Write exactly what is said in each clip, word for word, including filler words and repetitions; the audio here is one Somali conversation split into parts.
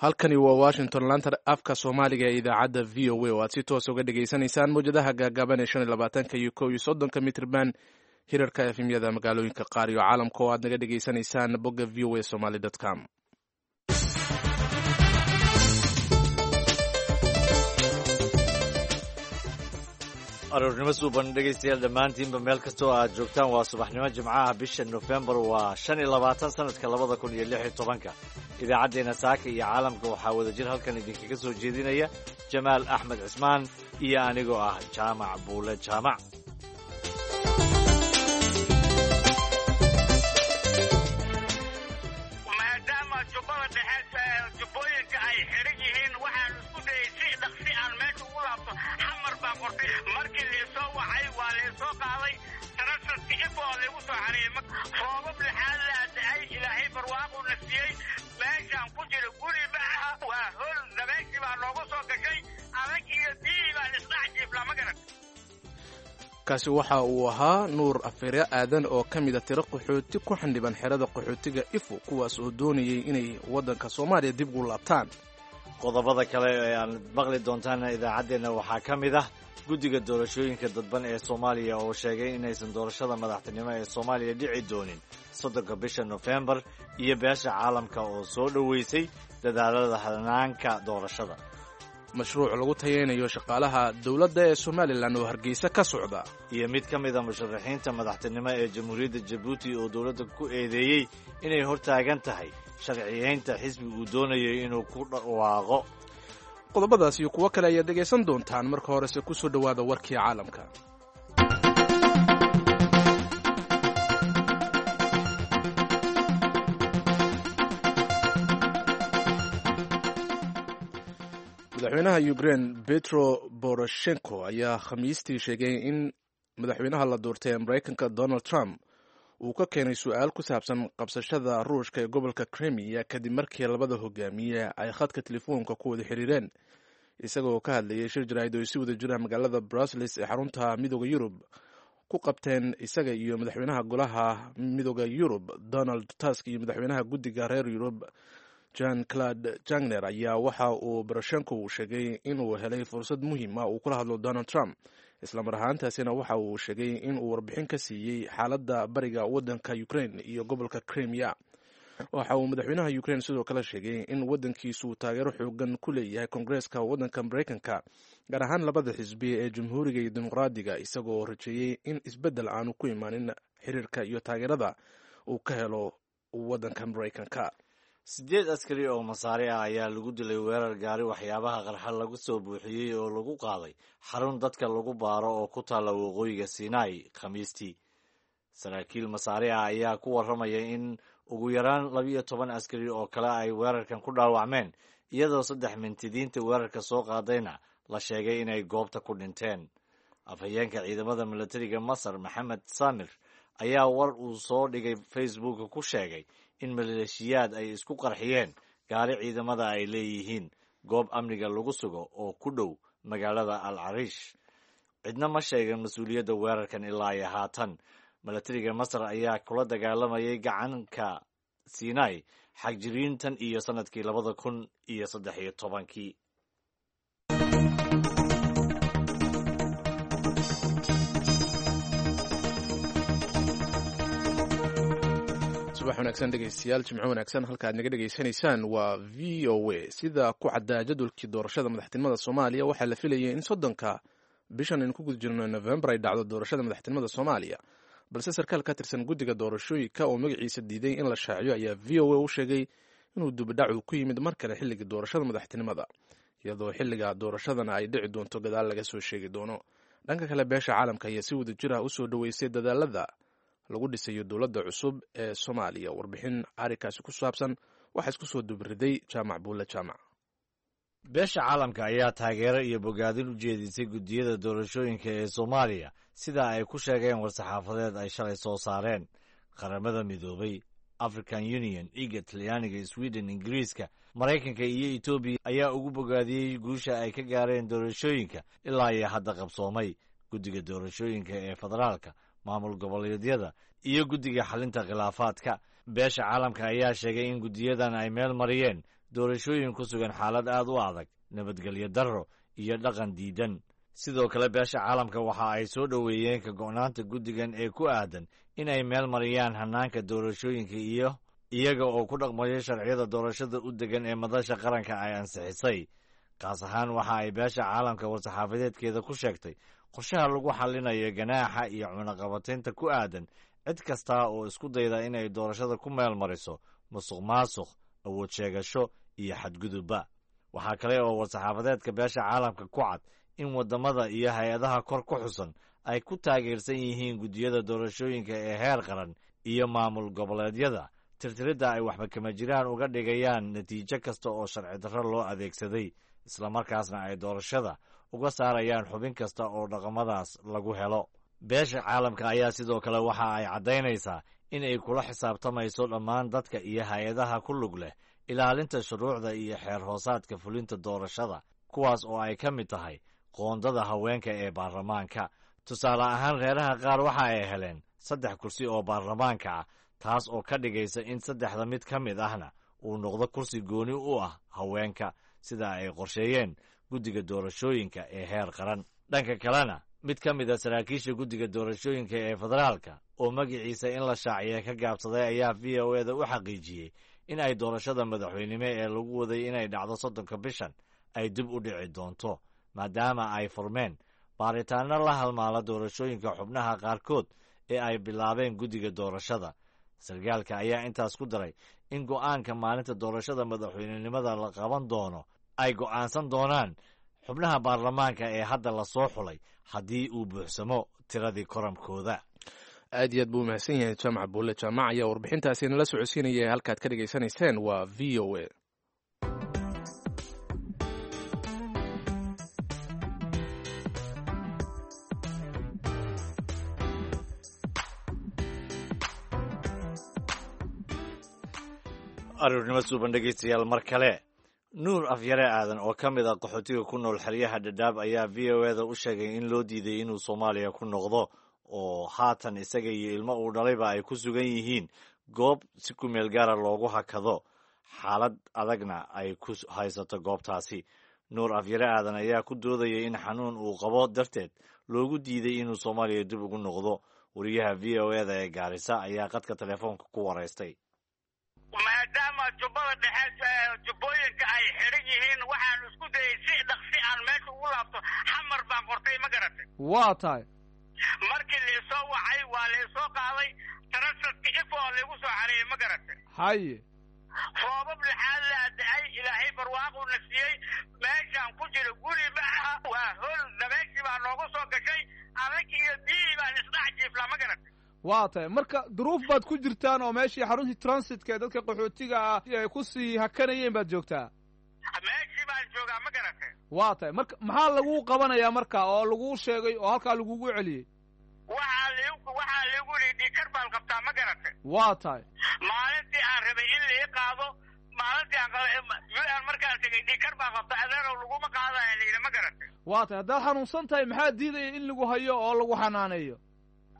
Halkani waa Washington, laanta afka Soomaaliga ee idaacadda V O A, oo aad si toos uga dhegaysanaysaan mawjadaha gaagaaban ee shan iyo labaatanka iyo kow iyo soddonka mitrban, hirarka efemyada magaalooyinka qaar iyo caalamka oo aad naga dhegaysanaysaan bogga V O A Somali com. Aroornimo suuban, dhegaystayaal dhammaantiinba, meel kastoo aad joogtaan. Waa subaxnimo Jimcaha, bisha Nofembar waa shan iyo labaatan sanadka labada kun iyo lix iyo tobanka. Idaacaddeenna saaka iyo caalamka waxaa wada jir halkan idinkaga soo jeedinaya Jamaal Axmed Cismaan iyo anigoo ah Jaamac Buule Jaamac. Maadaama Jubbada Dhexe, jubbooyinka ay xiran yihiin, waxaan isku dayay si dhaqsi aan meesha ugu laabto. Xamar baa qortay. Markii laisoo wacay, waa laisoo qaaday. Tarasadka Ifo laygu soo xareeyey. Roobab lixaad laa da-ay, Ilaahay barwaaquu na siiyey. Meeshaan ku jira guri ma aha, waa hol. Dabeeshii baa noogu soo gashay adag iyo biyihii baan isdhex jiifnaa, ma garan. Kaasi waxa uu ahaa Nuur Afeere Aadan oo ka mida tiro qaxooti ku xandhiban xerada qaxootiga Ifo, kuwaas oo doonayay inay waddanka Soomaaliya dib ugu laabtaan. Qodobada kale ee aad maqli doontaan idaacaddeenna waxaa ka mid ah guddiga doorashooyinka dadban ee Soomaaliya oo sheegay inaysan doorashada madaxtinimo ee Soomaaliya dhici doonin soddonka bisha Nofembar, iyo beesha caalamka oo soo dhoweysay dadaalada hanaanka doorashada. Mashruuc lagu tayeynayo shaqaalaha dowladda ee Somalilan oo Hargeysa ka socda. Iyo mid ka mid a musharaxiinta madaxtinimo ee Jamhuuriyadda Jabuuti oo dowladda ku eedeeyey inay hortaagan tahay sharciyeynta xisbi uu doonayo inuu ku dhawaaqo. Qodobadaas iyo kuwo kale ayaad dhegaysan doontaan. Marka horese ku soo dhowaada warkii caalamka. Madaxweynaha Ukraine Petro Poroshenko ayaa Khamiistii sheegay in madaxweynaha la doortay ee Maraykanka Donald Trump uu ka keenay su-aal ku saabsan qabsashada Ruushka ee gobolka Crimea, kadib markii labada hogaamiye ay khadka telefoonka ku wada xiriireen. Isagoo ka hadlayay shir jaraa'id oo si wada jira magaalada Brussels ee xarunta Midooda Yurub ku qabteen, isaga iyo madaxweynaha Golaha Midooda Yurub Donald Tusk iyo madaxweynaha guddiga reer Yurub Jean Claude Juncker, ayaa waxa uu Poroshenko uu sheegay inuu helay fursad muhiim ah uu kula hadlo Donald Trump. Islamar ahaantaasina waxa uu sheegay in uu warbixin ka siiyey xaaladda bariga waddanka Ukraine iyo gobolka Crimea. Waxa uu madaxweynaha Ukraine sidoo kale sheegay in waddankiisu uu taageero xoogan ku leeyahay Koongareeska waddanka Maraykanka, gaar ahaan labada xisbi ee Jamhuuriga iyo Dimuqraadiga, isagoo rajeeyey in isbeddel aanu ku imaanin xiriirka iyo taageerada uu ka helo waddanka Maraykanka. Siddeed askari oo Masaari ah ayaa lagu dilay weerar gaari waxyaabaha qarxa lagu soo buuxiyey oo lagu qaaday xarun dadka lagu baaro oo ku taalla waqooyiga Sinai Khamiistii. Saraakiil Masaari ah ayaa ku warramaya in ugu yaraan labiyo toban askari oo kale ay weerarkan ku dhaawacmeen, iyadoo saddex mintidiinta weerarka soo qaadayna la sheegay inay goobta ku dhinteen. Afhayeenka ciidamada milatariga Masar, Maxamed Samir, ayaa war uu soo dhigay Facebooka ku sheegay in maleeshiyaad ay isku qarxiyeen gaari ciidamada ay leeyihiin goob amniga lagu sugo oo ku dhow magaalada Al Cariish. Cidna ma sheegan mas-uuliyadda weerarkan ilaa iyo haatan. Milatariga Masar ayaa kula dagaalamayay gacanka Sinai xagjiriintan iyo sanadkii labada kun iyo saddex iyo tobankii. Subax wanaagsan, dhegeystayaal, jimco wanaagsan. Halka aad naga dhegeysanaysaan waa V O A. Sida ku caddaa jadwalkii doorashada madaxtinimada Soomaaliya, waxaa la filayay in soddonka bishan aynu ku guda jirno Novembar ay dhacdo doorashada madaxtinimada Soomaaliya, balse sarkaal ka tirsan guddiga doorashooyinka oo magaciisa diiday in la shaaciyo ayaa V O A u sheegay inuu dubadhacu ku yimid mar kale xilliga doorashada madaxtinimada, iyadoo xilliga doorashadana ay dhici doonto gadaal laga soo sheegi doono. Dhanka kale, beesha caalamka ayaa si wada jir ah usoo dhoweysay dadaalada lagu dhisayo dowladda cusub ee Soomaaliya. Warbixin arrinkaasi ku saabsan waxaa isku soo dubriday Jaamac Buulle Jaamac. Beesha caalamka ayaa taageero iyo bogaadin u jeedisay guddiyada doorashooyinka ee Soomaaliya, sida ay ku sheegeen war-saxaafadeed ay shalay soo saareen. Qaramada Midoobay, African Union, IGAD, Talyaaniga, Sweden, Ingiriiska, Maraykanka iyo Etoobiya ayaa ugu bogaadiyey guusha ay ka gaareen doorashooyinka ilaa iyo hadda qabsoomay. Guddiga doorashooyinka ee federaalka, maamul goboleedyada iyo guddiga xalinta khilaafaadka. Beesha caalamka ayaa sheegay in guddiyadan ay meel mariyeen doorashooyin ku sugan xaalad aad u adag, nabadgelyo darro iyo dhaqan diidan. Sidoo kale beesha caalamka waxa ay soo dhoweeyeen ka go'naanta guddigan ee ku aadan in ay meel mariyaan hannaanka doorashooyinka iyo iyaga oo ku dhaqmaya sharciyada doorashada u degan ee madasha qaranka ay ansixisay. Kaas ahaan waxa ay beesha caalamka war-saxaafadeedkeeda ku sheegtay qorshaha lagu xallinayo ganaaxa iyo cunaqabataynta ku aadan cid kasta oo isku dayda inay doorashada ku meel mariso musuq maasuq, awood sheegasho iyo xadgudubba. Waxaa kale oo war-saxaafadeedka beesha caalamka ku cad in waddamada iyo hay-adaha kor ku xusan ay ku taageersan yihiin guddiyada doorashooyinka ee heer qaran iyo maamul goboleedyada tirtiridda ay waxba kama jiraan uga dhigayaan natiijo kasta oo sharci darro loo adeegsaday, islamarkaasna ay doorashada uga saarayaan xubin kasta oo dhaqamadaas lagu helo. Beesha caalamka ayaa sidoo kale waxa ay caddaynaysaa in ay kula xisaabtamayso dhammaan dadka iyo hay-adaha ku lug leh ilaalinta shuruucda iyo xeer hoosaadka fulinta doorashada, kuwaas oo ay ka mid tahay qoondada haweenka ee baarlamaanka. Tusaale ahaan, reeraha qaar waxa ay heleen saddex kursi oo baarlamaanka ah, taas oo ka dhigaysa in saddexda mid ka mid ahna uu noqdo kursi gooni u ah haweenka, sida ay qorsheeyeen guddiga doorashooyinka ee heer qaran. Dhanka kalena, mid ka mid a saraakiisha guddiga doorashooyinka ee federaalka oo magaciisa in la shaaciya ka gaabsaday ayaa V O E da u xaqiijiyey in ay doorashada madaxweynimo ee lagu waday inay dhacdo soddonka bishan ay dib u dhici doonto, maadaama ay furmeen baaritaanno la halmaala doorashooyinka xubnaha qaarkood ee ay bilaabeen guddiga doorashada. Sarkaalka ayaa intaas ku daray in go'aanka maalinta doorashada madaxweynenimada la qaban doono ay go'aansan doonaan xubnaha baarlamaanka ee hadda lasoo xulay haddii uu buuxsamo tiradii koramkooda. Aad iyo aad buu umahadsan yahay Jaamac Buulle Jaamac ayaa warbixintaasi nala socodsiinaya. Halkaad ka dhegaysanayseen waa V O A. Aruurnimo suuban dhegeystayaal mar kale. Nuur Afyare Aadan oo ka mid ah qaxootiga ku nool xeryaha Dhadhaab ayaa V O E da u sheegay in loo diiday inuu Soomaaliya ku noqdo, oo haatan isaga iyo ilmo uu dhalayba ay ku sugan yihiin goob si ku meel gaara loogu hakado, xaalad adagna ay ku haysato goobtaasi. Nuur Afyare Aadan ayaa ku doodayay in xanuun uu qabo darteed loogu diiday inuu Soomaaliya dib ugu noqdo. Wariyaha V O E da ee Gaarisa ayaa qadka telefoonka ku waraystay. Maadaama Jubbada Dhexe, jubbooyinka ay xidhan yihiin, waxaan isku dayay si dhaqsi aan meesha ugu laabto. Xamar baan qortay, ma garatay? Waa tahay. Markii laisoo wacay waa laisoo qaaday, transitka Ifo laigu soo xareeyey, ma garatay? Haye. Roobab lixaad laa da-ay, Ilaahay barwaaquu na siiyey. Meeshaan ku jiro guri ma aha, waa hol. Dabeeshii baa noogu soo gashay, adag iyo biyihii baan isdhex jiiflaa, ma garatay? Waa tahay. Marka duruuf baad ku jirtaan oo meeshii xaruntii transitka ee dadka qaxootiga ah ay ku sii hakanayeen baad joogtaa? Meeshii baan joogaa, ma garatay? Waa tahay. Marka maxaa laguu qabanayaa marka oo laguu sheegay oo halkaa lagugu celiyey? Waxaa ligu waxaa ligu yidhi dhiikar baan qabtaa, ma garatay? Waa tahay. Maalintii aan rabay in lai qaado, maalintii aan U N markaan tegay, dhiikar baan qabta adeerow laguma qaadaya la yidhi, ma garatay? Waa tahay. Haddaad xanuunsan tahay, maxaa diidaya in lagu hayo oo lagu xanaaneeyo?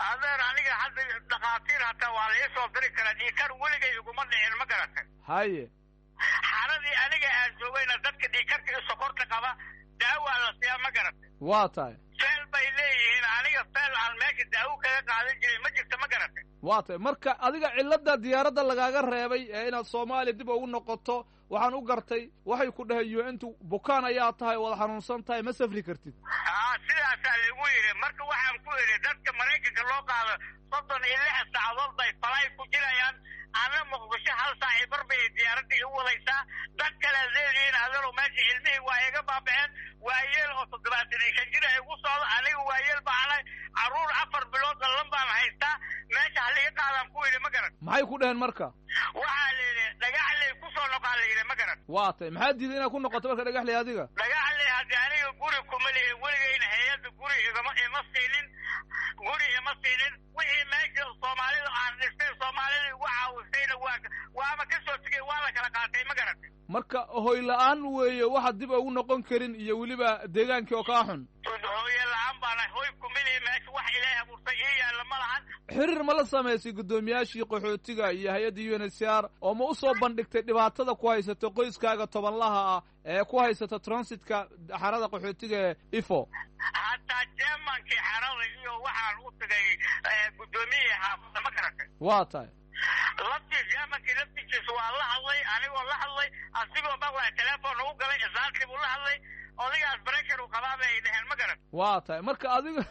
Adeer, aniga hadda dhakhaatiir hataa waa la ii soo diri karaa. Dhiikar weligay iguma dhicin, ma garatay? Haye. Xaradii aniga aan joogayna dadka dhiikarka iyo sokorta qaba daawaa la siiyaa, ma garatay? Waa tahay. Feel bay leeyihiin. Aniga feel aan meesha daawo kaga qaadan jiray ma jirta, ma garatay? Waa tahay. Marka adiga cilladda diyaaradda lagaaga reebay ee inaad Soomaaliya dib ugu noqoto waxaan u gartay, waxay ku dhaheen U N-tu bukaan ayaa tahay, waad xanuunsan tahay, ma safri kartid. Aa, sidaasaa lagu yidhi. Marka waxaan ku idhi dadka Maraykanka loo qaado soddon iyo lix saacadood bay falay ku jirayaan, anna Muqdisho hal saaci bar bay diyaaradda igu wadaysaa. Dad kalead leedihiin adeerow, meesha ilmihii waa iga baaba'een. Waayeel oo toddobaatan iyo shan jir ay igu socdo, aniga waayeel baan, carruur afar bilood dhallan baan haystaa. Meesha haliga qaadaan ku yidhi, ma garan. Maxay ku dhaheen marka? Waxaa la yidhi Dhagaxley ku soo noqaa la yidhi, ma garan. Waa tahay. Maxaa diiday inaad ku noqoto marka Dhagaxley adiga? Dhagaxley haddii aniga guri kuma lihi, weligayna hay-adda guri igama ima siinin, guri ima siinin. Wixii meesha Soomaalida aan dhistay, Soomaalida igu caawisayna waa waaba ka soo tegey, waa la kala qaatay, ma garatay? Marka hoy la-aan weeye waxaad dib ugu noqon karin iyo weliba deegaankii oo kaa xun. Hooye la-aan baana, hoy kuma lihi meesha. Wax Ilaahay abuurtay ii yaalla ma lahan. Xiriir ma la samaysay guddoomiyaashii qaxootiga iyo hay-adda U N H C R oo ma u soo bandhigtay dhibaatada ku haysata qoyskaaga tobanlaha ah ee ku haysata transitka xerada qaxootiga ee ifo? Hataa jermankii xerada iyo waxaan u tagay guddoomiyihii xaafadda, ma garatay? Waa tahay. Laftii jermankii laftigiisa waa la hadlay, anigoo la hadlay, asigoo maqlaya telefoon ugu galay, islaantii buu la hadlay. Odagaas pressure uu qabaa bay ay dheheen, ma garat? Waa tahay. Marka adiga,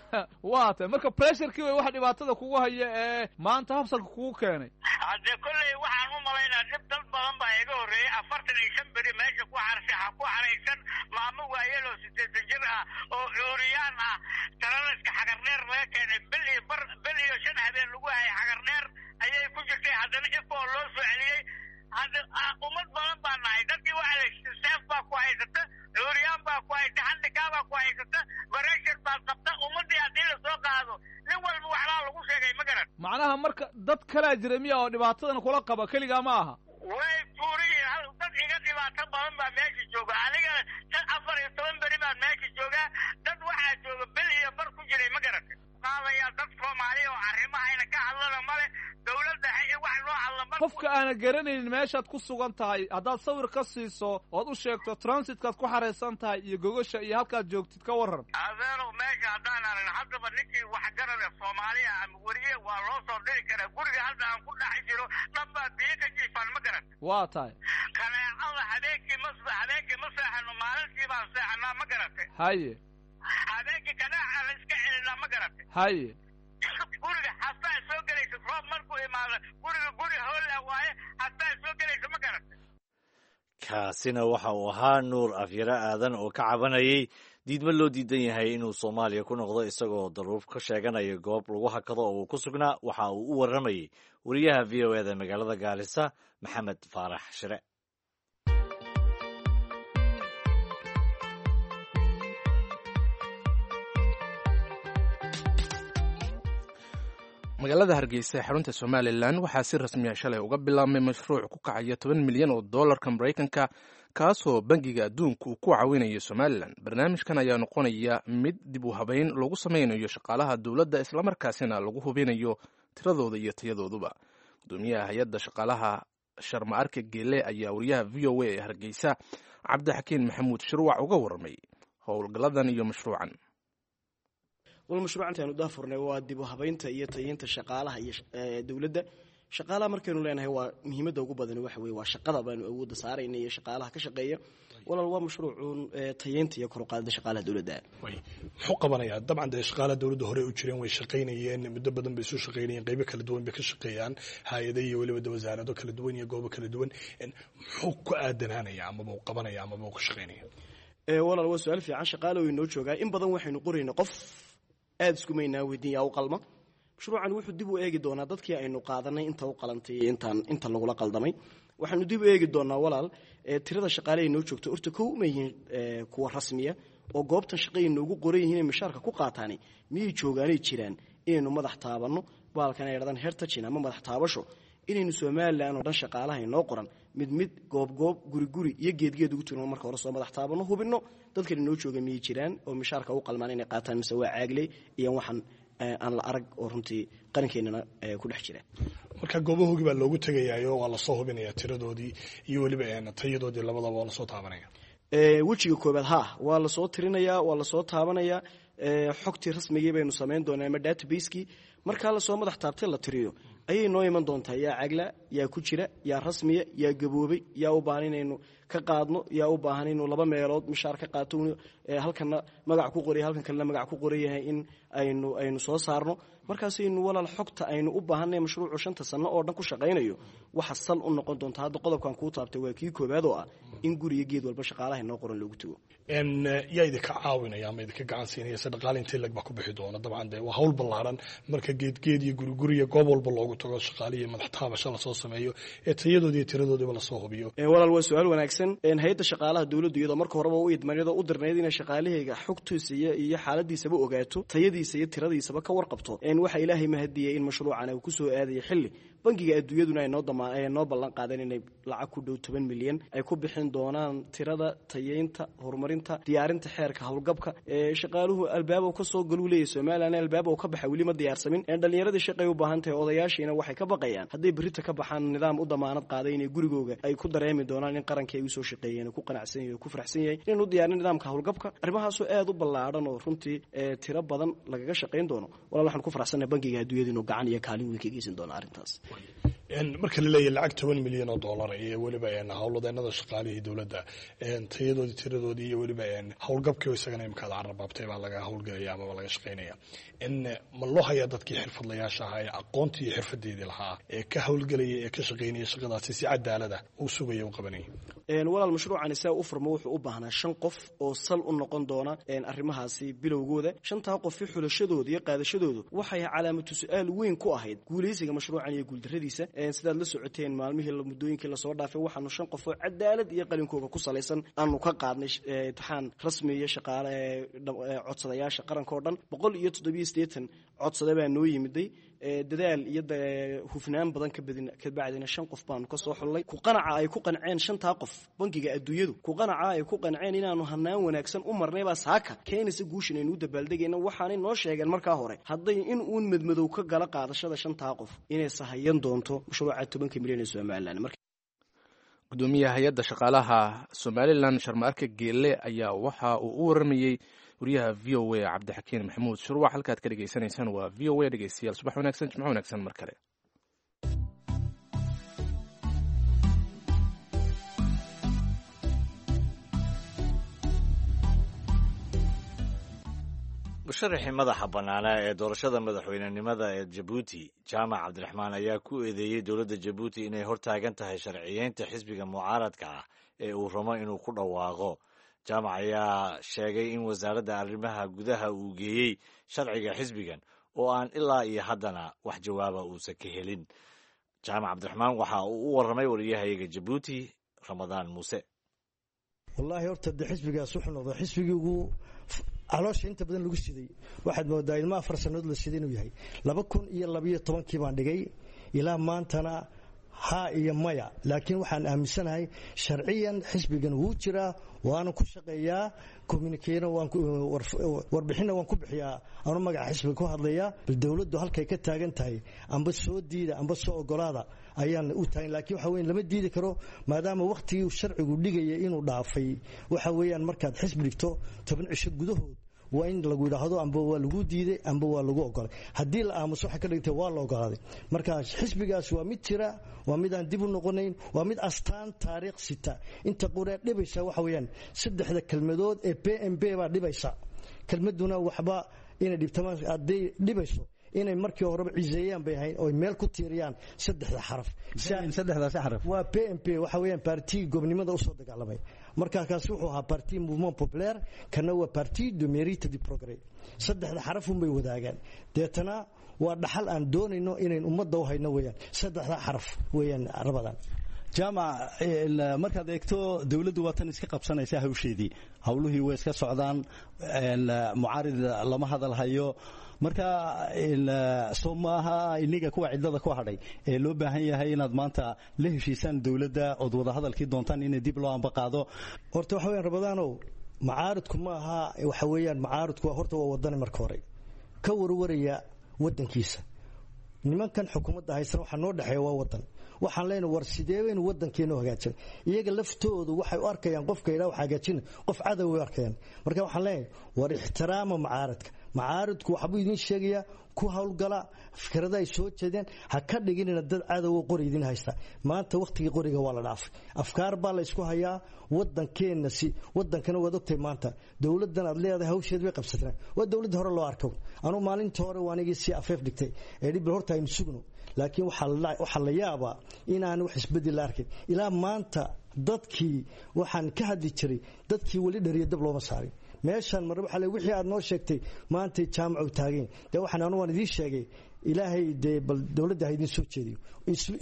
waa tahay, marka pressurekii way waxa dhibaatada kugu haya ee maanta habsalka kugu keenay. Haddee kolley waxaan u malaynaa dhib dad badan baa iga horreeyey. Afartan iyo shan beri meesha ku xarsi ku xaraysan, maamo waayeloo siddeetan jir ah oo cuuriyaan ah, taranaska Xagardheer laga keenay, bil iyo bar, bil iyo shan habeen lagu hayay Xagardheer ayay ku jirtay, haddana ifoo loo soo celiyey. Hadda ummad badan baa nahay. Dadkii waxa la seef baa ku haysata, cuuriyaan baa ku haysta, handicap baa ku haysata, pressure baad qabta. Ummaddii haddii lasoo qaado, nin walba waxbaa lagu sheegay, ma garan? Macnaha marka dad kalaa jira miya oo dhibaatadan kula qaba? Keligaa ma aha? Way tuuriyiin, dad iga dhibaato badan baa meesha jooga. Anigana tan afar iyo toban beri baan meesha joogaa, dad waxaa jooga bil iyo bar ku jiray, ma garatay? Qaadaya dad Soomaaliya oo arrimahayna ka hadlana male, dawladda wax loo hadla ma. Qofka aana garanaynin meeshaad ku sugan tahay, haddaad sawir ka siiso ood u sheegto transitkaad ku xaraysan tahay iyo gogasha iyo halkaad joogtid, ka warran. Adeerow, meesha haddaan aragn haddaba ninkii waxgarada Soomaaliya ama weriye waa loo soo diri karaa. Guriga hadda aan ku dhex jiro dhan baa biyo ka jiifaan, ma garat? Waa tahay. Kaneecada habeenkii ma habeenkii ma seexano, maalintii baan seexanaa, ma garatay? Haye. Habeenkii kaneeca la iska celinaa, ma garatay? Haye. Guriga hastaa soo gelaysa, roob markuu imaado guriga guri hoola waaye, hastaa soo gelaysa, ma garatay? Kaasina waxa uu ahaa Nuur Afyare Aadan oo ka cabanayay diidmo loo diidan yahay inuu Soomaaliya ku noqdo, isagoo daruuf ka sheeganaya goob lagu hakado oo uu ku sugnaa. Waxa uu u warramayey wariyaha V O eda magaalada Gaalisa, Maxamed Faarax Shire. Magaalada Hargeysa ee xarunta Somalilan waxaa si rasmiya shalay uga bilaabmay mashruuc ku kacaya toban milyan oo dollarka Maraykanka, kaasoo Bangiga Adduunka uu ku caawinayo Somalilan. Barnaamijkan ayaa noqonaya mid dib u habeyn lagu sameynayo shaqaalaha dowladda, islamarkaasina lagu hubinayo tiradooda iyo tayadooduba. Gudoomiyaha hay-adda shaqaalaha, Sharma Arke Geele, ayaa wariyaha V O A ee Hargeysa, Cabdixakiin Maxamuud Shirwac, uga warramay howlgalladan iyo mashruucan. Wal mashruuc intaanu daafurnay waa dib u habeynta iyo tayeynta shaqaalaha iyo dowladda. Shaqaalaha markaynu leenahay, waa muhiimadda ugu badan waxa weye waa shaqada baanu awoodda saarayna iyo shaqaalaha ka shaqeeya. Walaal, waa mashruucuun tayeynta iyo kor u qaadida shaqaalaha dowladda. Muxuu qabanayaa? Dabcan dee shaqaalaha dowladda hore u jireen, way shaqaynayeen muddo badan bay soo shaqaynayeen, qaybo kala duwan bay ka shaqeeyaan, hay-ado iyo weliba de wasaarado kala duwan iyo goobo kala duwan. Muxuu ku aadanaanaya amaba uu qabanaya amaba uu ka shaqaynaya? Walaal, waa su-aal fiican. Shaqaale way noo joogaa in badan, waxaynu qorayna qof aada iskumaynaa weydiin yaa u qalma. Mashruucan wuxuu dib u eegi doonaa dadkii aynu qaadanay inta u qalantay iyo intaan inta lagula qaldamay. Waxaanu dib u eegi doonaa, walaal, tirada shaqaale ay noo joogto. Horta kow, ma yihiin kuwa rasmiya oo goobtan shaqay noogu qoran yihiin inay mishaarka ku qaataani? Miyay joogaanay jiraan? Inaynu madax taabanno baalkan ay dhadaan hertajin ama madax taabasho, inaynu Somalilan oo dhan shaqaalaha inoo qoran mid mid, goob goob, guri guri iyo geedgeed ugu turno. Marka hore soo madax taabanno, hubinno dadkan inoo jooga miyay jiraan oo mishaarka u qalmaan inay qaataan, mise waa caagley iyo waxaan aan la arag oo runtii qarankeenana ku dhex jira. Marka goobahoogii baa loogu tegayaayo, waa lasoo hubinaya tiradoodii iyo weliba tayadoodii, labadaba waa lasoo taabanaya. Wejiga koobaad ha waa lasoo tirinayaa, waa lasoo taabanayaa, xogtii rasmigii baynu samayn doonaa ama database-kii. Markaa lasoo madax taabtay, la tiriyo, ayay noo iman doontaa yaa cagla, yaa ku jira, yaa rasmiya, yaa gaboobay, yaa u baahan inaynu ka qaadno, yaa u baahan inuu laba meelood mishaar ka qaato, halkana magac ku qoray, halkan kalena magac ku qoran yahay, in aynu aynu soo saarno. Markaasaynu, walaal, xogta aynu u baahanay mashruucu shanta sano oo dhan ku shaqaynayo waxa sal u noqon doonta. Hadda qodobkan kuu taabtay waa kii koobaad oo ah in guriga geed walba shaqaalaha inoo qoran loogu tago. Yaa idinka caawinaya ama idinka gacan siinaya? Se dhaqaale intee lag baa ku bixi doona? Dabcan dee waa hawl ballaaran marka geedgeed iyo guriguriya goob walba loogu tago shaqaalihii madax taabasho lasoo sameeyo ee tayadoodii iyo tiradoodiiba lasoo hubiyo? Walaal, waa su-aal wanaagsan. Hay-adda shaqaalaha dowladdu iyadoo marka horeba u idman, iyadoo u dirnayd inay shaqaalahayga xogtiisa iyo iyo xaaladiisaba ogaato, tayadiisa iyo tiradiisaba ka warqabto, waxaa Ilaahay mahadiyey in mashruucan uu kusoo aadaya xilli bangiga adduunyaduna ay noo dama noo ballan qaadeen inay lacag ku dhow toban milyan ay ku bixin doonaan tirada, tayeynta, horumarinta, diyaarinta xeerka howlgabka. Shaqaaluhu albaab ka soo galuu leeyahy Somaliland, albaab ka baxa weli ma diyaarsamin. Dhallinyaradii shaqay u baahan tahay, odayaashiina waxay ka baqayaan hadday berrita ka baxaan nidaam u damaanad qaaday inay gurigooga ay ku dareemi doonaan in qarankii ay usoo shaqeeyeen ku qanacsan yahay, ku faraxsan yahay, inaynu diyaarin nidaamka howlgabka. Arrimahaasoo aad u ballaadhan oo runtii tiro badan lagaga shaqayn doono. Walaal, waxaan ku faraxsannahay bangiga adduunyada inuu gacan iyo kaalin weyn ka geysan doono arrintaas. Marka la leeyahy lacag toban milyan oo dollar iyo weliba howlwadeenada shaqaalihii dowladda tayadoodii, tiradoodii iyo weliba howlgabkii isagana imika ad carrabaabtay baa laga howlgelaya amaba laga shaqaynaya, ma loo hayaa dadkii xirfadlayaasha ahaa ee aqoontii iyo xirfadeedii lahaa ee ka howlgelaya ee ka shaqaynaya shaqadaasi si cadaalada u sugaya, u qabanaya? Walaal, mashruucani saa u furmo wuxuu u baahnaa shan qof oo sal u noqon doona arrimahaasi bilowgooda. Shantaa qofi xulashadooda iyo qaadashadoodu waxay calaamatu su-aal weyn ku ahayd guulaysiga mashruucan iyo guuldarradiisa. Sidaad la socoteen, maalmihii, muddooyinkii lasoo dhaafay, waxaanu shan qof oo cadaalad iyo qalinkooga ku salaysan aanu ka qaadnay imtixaan rasmi iyo shaqaale codsadayaasha qaranka oo dhan. Boqol iyo toddobiyo siddeetan codsade baa noo yimiday. Dadaal iyo hufnaan badan kabadin kabacdina shan qof baanu ka soo xullay. Ku qanaca ay ku qanceen shantaa qof bangiga adduunyadu, ku qanaca ay ku qanceen inaanu hanaan wanaagsan u marnay baa saaka keenaysa guushan aynu u dabaaldegayna. Waxaanay noo sheegeen markaa hore hadday in uun madmadow ka gala qaadashada shantaa qof inay sahayan doonto mashruuca tobanka milyan ee Somaliland. Gudoomiyaha hay-adda shaqaalaha Somaliland Sharmaarke Geele ayaa waxa uu u waramayey wariyaha V O A Cabdixakiin Maxamuud Shurwax. Halkaad ka dhegeysanaysaan waa V O A. Dhegeystayaal, subax wanaagsan, jimco wanaagsan mar kale. Musharaxii madaxa bannaanaa ee doorashada madaxweynenimada ee Jabuuti, Jaamac Cabdiraxmaan, ayaa ku eedeeyey dowladda Jabuuti inay hortaagan tahay sharciyeynta xisbiga mucaaradka ah ee uu rabo inuu ku dhawaaqo. Jaamac ayaa sheegay in wasaaradda arrimaha gudaha uu geeyey sharciga xisbigan oo aan ilaa iyo haddana wax jawaaba uusan ka helin. Jaamac Cabdiraxmaan waxa uu u warramay wariyahayaga Jabuuti, Ramadaan Muuse. Wallaahi, horta de xisbigaas wuxuu noqday xisbigii ugu caloosha inta badan lagu siday. Waxaad moodaa ilma afar sannadood la siday inuu yahay. Laba kun iyo labiyo tobankii baan dhigay, ilaa maantana haa iyo maya, laakiin waxaan aaminsanahay sharciyan xisbigan wuu jiraa, waana ku shaqeeyaa, communique-na warbixinna waan ku bixiyaa, anu magaca xisbiga ku hadlayaa. Bal dowladdu halkay ka taagan tahay, amba soo diida amba soo ogolaada ayaan u taagan, laakiin waxa weyan lama diidi karo maadaama wakhtigii sharcigu dhigaya inuu dhaafay. Waxa weeyaan markaad xisbi dhigto toban cisho gudahood waa in lagu yidhaahdo amba waa lagu diiday amba waa lagu ogolay. Haddii la aamuso waxay ka dhigtay waa la ogolaaday. Marka xisbigaas waa mid jira, waa mid aan dib u noqonayn, waa mid astaan taariikh sita. Inta qoree dhibaysa waxa weeyaan saddexda kelmadood ee P M B baa dhibaysa. Kelmaduna waxba inay dhibtamaan, hadday dhibayso inay markii horeba ciseeyaan bay ahayn oo meel ku tiiriyaan saddexda xaraf. Saddexdaasi xaraf waa P M P, waxa weeyaan parti gobnimada usoo dagaalamay. Marka kaasi wuxuu ahaa Parti Mouvement Populaire, kana waa Parti de Mérite du Progrès. Saddexda xaraf un bay wadaagaan. Deetana waa dhaxal aan doonayno inayn ummadda u hayno weeyaan, saddexda xaraf weeyaan rabadan. Jaamac, markaad eegto dowladdu waa tan iska qabsanaysa hawsheedii, howlihii way iska socdaan, mucaarid lama hadal hayo. Marka soo maaha iniga kuwa cidlada ku hadhay ee loo baahan yahay inaad maanta la heshiisaan dowladda ood wadahadalkii doontaan inay dib loo amba qaado? Horta waxa weyaan Rabadaanow, macaaridku ma aha, waxa weeyaan macaaridku horta waa wadani marka hore ka warwaraya waddankiisa. Nimankan xukuumadda haysana waxaa noo dhexeeya waa wadan. Waxaan leenahay, war sidee baynu wadankeena u hagaajin? Iyaga laftoodu waxay u arkayaan qofka yidhaha wax hagaajina qof cadow way u arkayaan. Marka waxaan leenahay, war ixtiraama macaaradka. Macaaridku waxbuu idiin sheegayaa, ku howlgala fikrada ay soo jeedeen, ha ka dhiginina dad cadowo qori idin haysta. Maanta wakhtigii qoriga waa la dhaafay, afkaar baa la isku hayaa wadankeenna. Si wadankana waad ogtahay, maanta dowladdan aad leedahay hawsheed bay qabsateen, waa dowladda hore loo arko. Anuu maalinta hore waa anigii si afeef dhigtay ee dhib horta aynu sugno, laakiin waxaa la yaabaa inaan wax isbedel la arkin ilaa maanta. Dadkii waxaan ka hadli jiray, dadkii weli dhariya dab looma saarin meeshaan. Marna waxaa le wixii aad noo sheegtay maantay jaamacu taageen. Dee waxaan anu waan idiin sheegay Ilaahay dee bal dowladda ha idiin soo jeediyo,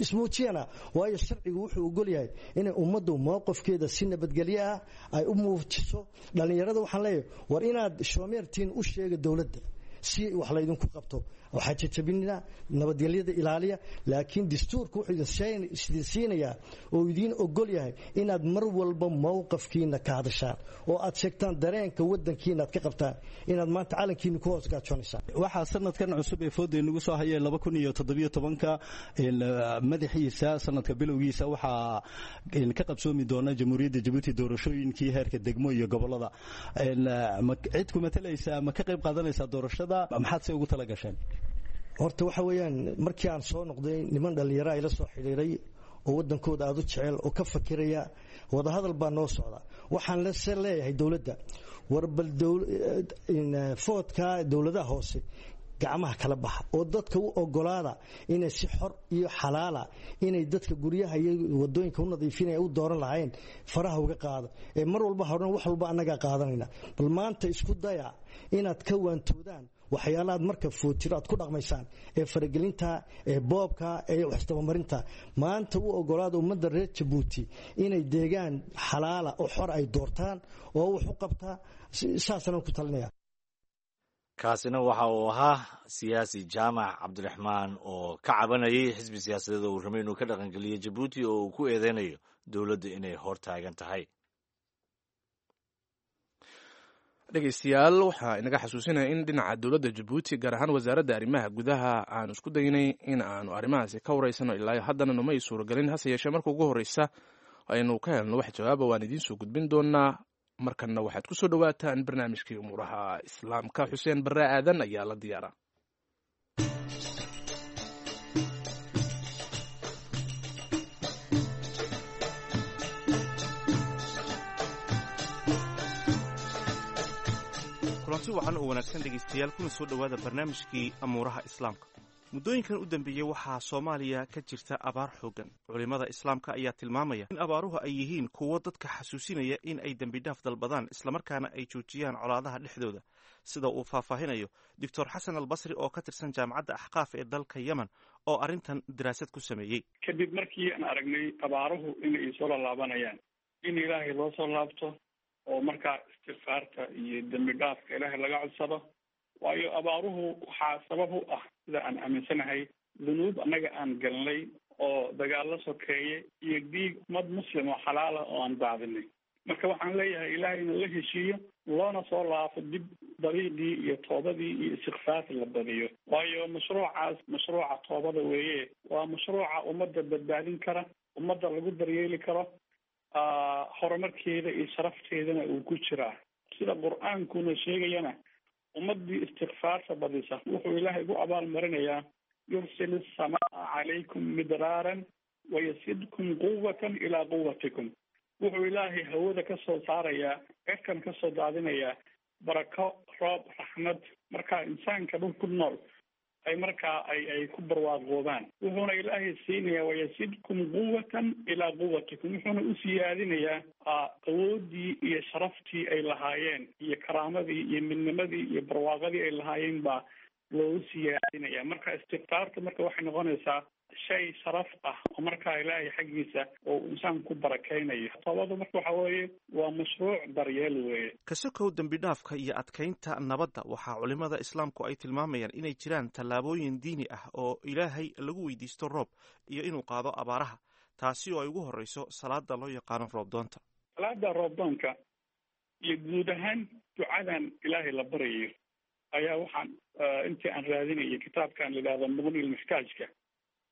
ismuujiyana, waayo sharcigu wuxuu ogol yahay inay ummaddu mowqifkeeda si nabadgelyo ah ay u muujiso. Dhallinyarada waxaan leeyahay, war inaad shoomeertiin u sheega dowladda si wax laydinku qabto, waxaa jajabinina, nabadgelyada ilaaliya. Laakiin dastuurka wuxuu idin siinayaa oo idiin ogol yahay inaad mar walba mowqafkiina ka hadashaan oo aad sheegtaan dareenka wadankiina aad ka qabtaan, inaad maanta calankiina ku hoos gaajoonaysaa. Waxaa sanadkan cusub ee fooda inagu soo hayay laba kun iyo toddobiyo tobanka madaxiisa, sanadka bilowgiisa, waxaa ka qabsoomi doona Jamhuuriyadda Jabuuti doorashooyinkii heerka degmo iyo gobolada. Cid ku matalaysa ma ka qayb qaadanaysaa doorashada? Maxaad se ugu tala gasheen? Horta waxa weeyaan, markii aan soo noqday, niman dhallinyaro ila soo xidhiiray oo waddankooda aada u jecel oo ka fakiraya, wadahadal baa noo socda. Waxaan lase leeyahay dowladda, war bal foodka dowladaha hoose gacmaha kala baxa oo dadka u ogolaada inay si xor iyo xalaala inay dadka guryaha iyo wadooyinka u nadiifinaya u dooran lahayn, faraha uga qaada ee mar walba horan wax walba annagaa qaadanayna. Bal maanta isku daya inaad ka waantoodaan waxyaalahaad marka footiro aad ku dhaqmaysaan ee faragelinta, ee boobka, ee waxisdabamarinta. Maanta u ogolaada ummadda reer Jabuuti inay deegaan xalaala oo xor ay doortaan oo wax u qabtaa. Saasaan ku talinaya. Kaasina waxa uu ahaa siyaasi Jaamac Cabdiraxmaan oo ka cabanayay xisbi siyaasadeed oo uu rabay inuu ka dhaqangeliyo Jabuuti oo uu ku eedeynayo dowladda inay hor taagan tahay. Dhegeystayaal, waxaa inaga xasuusinaya in dhinaca dowladda Jabuuti, gaar ahaan wasaaradda arrimaha gudaha, aanu isku daynay in aanu arrimahaasi ka wareysano. Ilaa haddana numay suuragelin. Hase yeeshee, marka ugu horreysa aynu ka helno wax jawaaba, waan idiin soo gudbin doonaa. Markanna waxaad ku soo dhowaataan barnaamijkii umuuraha Islaamka. Xuseen Barre Aadan ayaa la diyaara. Kulanti wacan oo wanaagsan, dhegaystayaal, kuna soo dhowaada barnaamijkii amuuraha Islaamka. Muddooyinkan u dambeeyey waxaa Soomaaliya ka jirta abaar xooggan. Culimmada Islaamka ayaa tilmaamaya in abaaruhu ay yihiin kuwo dadka xasuusinaya in ay dembidhaaf dalbadaan, islamarkaana ay joojiyaan colaadaha dhexdooda, sida uu faahfaahinayo Doctor Xasan Albasri oo ka tirsan Jaamacadda Axqaaf ee dalka Yemen oo arrintan daraasad ku sameeyey. Kadib markii aan aragnay abaaruhu inay soo laalaabanayaan, in Ilaahay loo soo laabto oo markaa istikfaarta iyo dembi dhaafka Ilaahay laga codsado, waayo abaaruhu waxaa sabab u ah, sida aan aaminsanahay, dunuub annaga aan galnay oo dagaallo sokeeye iyo dhiig ummad muslim oo xalaala oo aan daadinay. Marka waxaan leeyahay, Ilaahay inuu la heshiiyo loona soo laafo dib dariiqii iyo toobadii iyo istikfaarta la badiyo, waayo mashruucaas mashruuca toobada weeye, waa mashruuca ummadda badbaadin kara, ummadda lagu daryeeli karo, horumarkeeda iyo sharafteedana uu ku jiraa. Sida Qur-aankuna sheegayana, ummaddii istikfaarta badisa wuxuu Ilaahay ugu abaalmarinayaa: "Yursil asamaa calaykum midraaran wayasidkum quwatan ilaa quwatikum." Wuxuu Ilaahay hawada ka soo saarayaa, cirkan ka soo daadinayaa barako, roob, raxmad, markaa insaanka dhul ku nool ay markaa ay ay ku barwaaqoobaan. Wuxuuna Ilaahay siinayaa "wayasidkum quwatan ilaa quwatikum", wuxuuna u siyaadinayaa awooddii iyo sharaftii ay lahaayeen iyo karaamadii iyo midnimadii iyo barwaaqadii ay lahaayeen baa loogu siyaadinaya. Marka istikfaarta marka waxay noqonaysaa shay sharaf ah oo markaa Ilaahay xaggiisa oo insaanku ku barakaynayo. Toobadu marka waxa weeye waa mashruuc daryeel weeye. Kasokow dembidhaafka iyo adkaynta nabadda, waxaa culimmada Islaamku ay tilmaamayaan inay jiraan tallaabooyin diini ah oo Ilaahay lagu weydiisto roob iyo inuu qaado abaaraha, taasi oo ay ugu horreyso salaada loo yaqaano roobdoonta. Salaada roobdoonka iyo guud ahaan ducadan Ilaahay la baryayo ayaa waxaan intii aan raadinayay kitaabkan la yidhahdo Muqni Lmuxtaajka,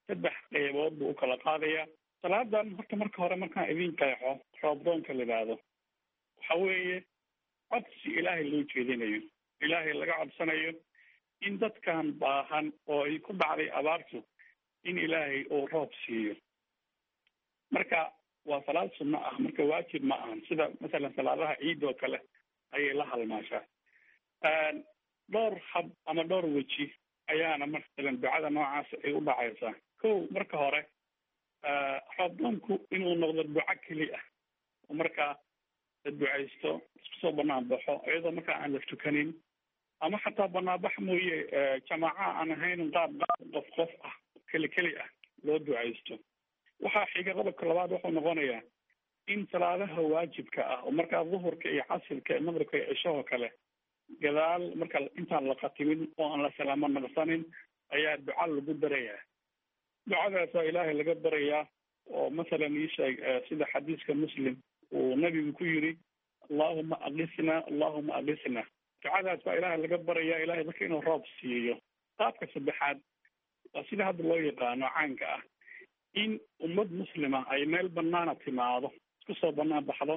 saddex qeybood buu u kala qaadayaa salaadan. Horta marka hore markaan idin qeexo roobdoonka la yidhaahdo, waxa weeye codsi Ilaahay loo jeedinayo, Ilaahay laga codsanayo in dadkan baahan oo ay ku dhacday abaartu in Ilaahay uu roob siiyo. Marka waa salaad sunno ah, marka waajib ma ahan, sida masalan salaadaha ciid oo kale ayay la halmaashaa. Dhowr hab ama dhowr weji ayaana masalan ducada noocaas ay u dhacaysaa. Kow, marka hore roobdoonku inuu noqdo duco keli ah oo markaa la ducaysto, isku soo banaan baxo, iyadoo markaa aan la tukanin. Ama xataa banaanbax mooye, jamaaca aan ahayn, qaab qaab qof qof ah, keli keli ah loo ducaysto. Waxaa xiga qodobka labaad, wuxuu noqonayaa in salaadaha waajibka ah oo markaa duhurka iyo casirka iyo maqribka iyo cishahoo kale gadaal marka intaan la khatimin oo aan la salaamo naqsanin ayaa duca lagu darayaa. Ducadaasaa Ilaahay laga barayaa, oo masalan ii sheeg sida xadiiska Muslim uu nabigu ku yiri, "Allahuma aqisna, Allahuma aqisna." Ducadaas baa Ilaahay laga barayaa, Ilahay dadka inuu roob siiyo. Qaabka saddexaad waa sida hadda loo yaqaano caanka ah, in ummad muslima ay meel banaana timaado, isku soo banaan baxdo,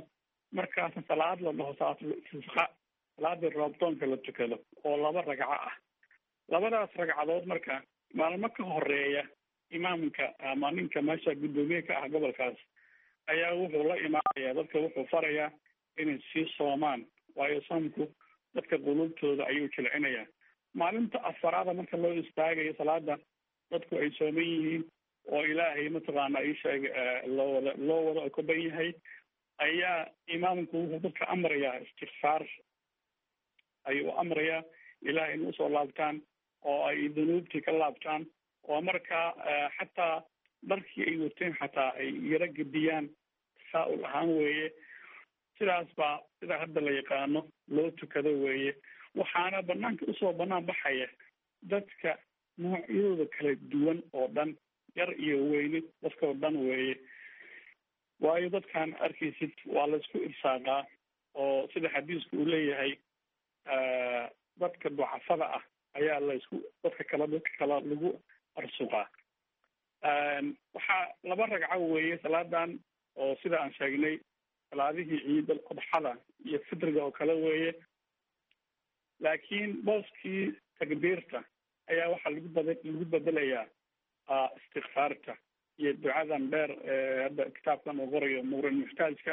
markaasna salaad la dhaho salaatul istisqa, salaadii roobdoonka la tukado oo laba ragco ah. Labadaas ragcadood marka maalmo ka horeeya imaamka ama ninka meesha guddoomiye ka ah gobolkaas ayaa wuxuu la imaanayaa dadka, wuxuu farayaa inay sii soomaan, waayo soomku dadka quluubtooda ayuu jilcinayaa. Maalinta afaraada marka loo istaagayo salaada, dadku ay sooman yihiin oo Ilaahay mataqaana isheeg loo wada loo wada okoban yahay, ayaa imaamku wuxuu dadka amrayaa istikfaar ayuu u amrayaa, Ilahay in usoo laabtaan oo ay dunuubtii ka laabtaan, oo markaa xataa dharkii ay wateen xataa ay yaro gediyaan, tasaa-ul ahaan weeye. Sidaas baa sida hadda la yaqaano loo tukado weeye. Waxaana banaanka usoo banaan baxaya dadka noocyadooda kala duwan oo dhan, yar iyo weyne, dadkao dhan weeye, waayo dadkaan arkaysid waa laisku irsaaqaa, oo sida xadiisku uu leeyahay dadka ducafada ah ayaa laisku dadka kala dadka kala lagu arsuqaa. Waxaa laba ragco weeye salaadan, oo sida aan sheegnay salaadihii ciid al adxada iyo fitriga oo kale weeye, laakiin booskii takbiirta ayaa waxaa lagu bad lagu bedelayaa istikfaarta iyo ducadan dheer ee hadda kitaabkan uu qorayo Muqrin Muxtaajka,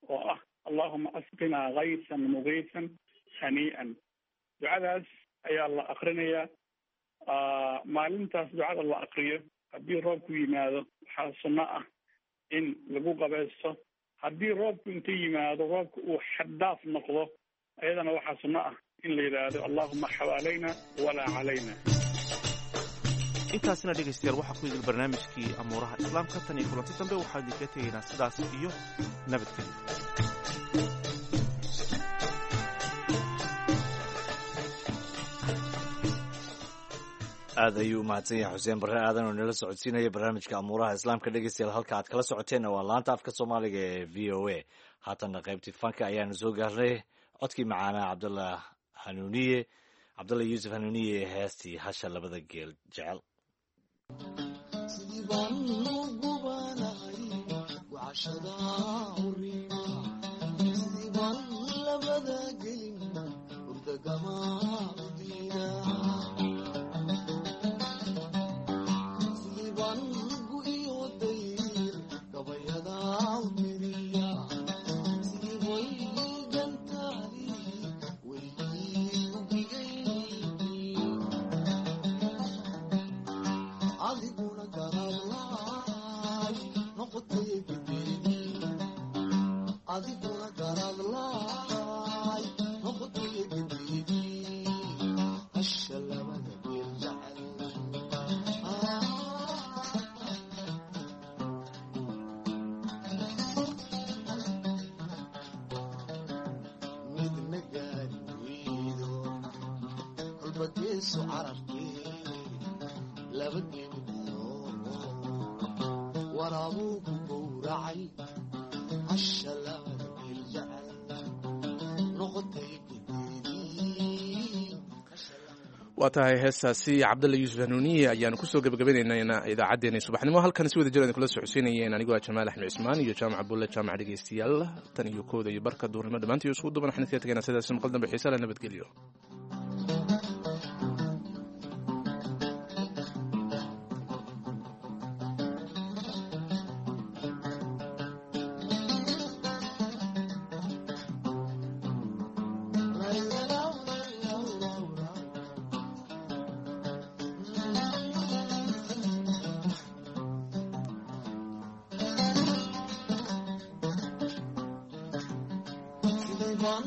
oo ah "Allahuma asqinaa kaysan mugiisan hanii'an". Ducadaas ayaa la akrinayaa maalintaas. Ducada la akriyo haddii roobku yimaado, waxaa sunno ah in lagu qabaysto. Haddii roobku inta yimaado roobka uu xaddaaf noqdo, ayadana waxaa sunno ah in la yidhaahdo "Allahuma xawaalayna walaa calayna". Intaasina dhegaystayaal waxaa ku idil barnaamijkii amuuraha islaamka. Tan iyo kulanti dambe, waxaan idinkaga tegaynaa sidaas iyo nabadgelyo. Aad ayuu u mahadsan yahay Xuseen Barre Aadan oo nala socodsiinaya barnaamijka amuuraha islaamka. Dhegeystayaal, halka aad kala socoteenna waa laanta afka Soomaaliga ee V O A. Haatanna qaybtii fanka ayaanu soo gaarnay. Codkii macaanaa Cabdallah Hanuuniye, Cabdallah Yuusuf Hanuuniye, ee heestii Hasha Labada Geel Jecel. Waa tahay, heestaasi Cabdalla Yuusuf Hanuuniye ayaanu kusoo gebagabaynaynaa idaacaddeenii subaxnimo. Halkan si wada jir idin kula socodsiinayeen anigoo ah Jamaal Axmed Cismaan iyo Jaamac Bulle Jaamac. Dhegeystayaal, tan iyo kooda iyo barka duurnimo dhammaantii isku duban waxaan idinkaga tegaynaa sidaasi maqal dambe xiisa la nabadgelyo. Sidayban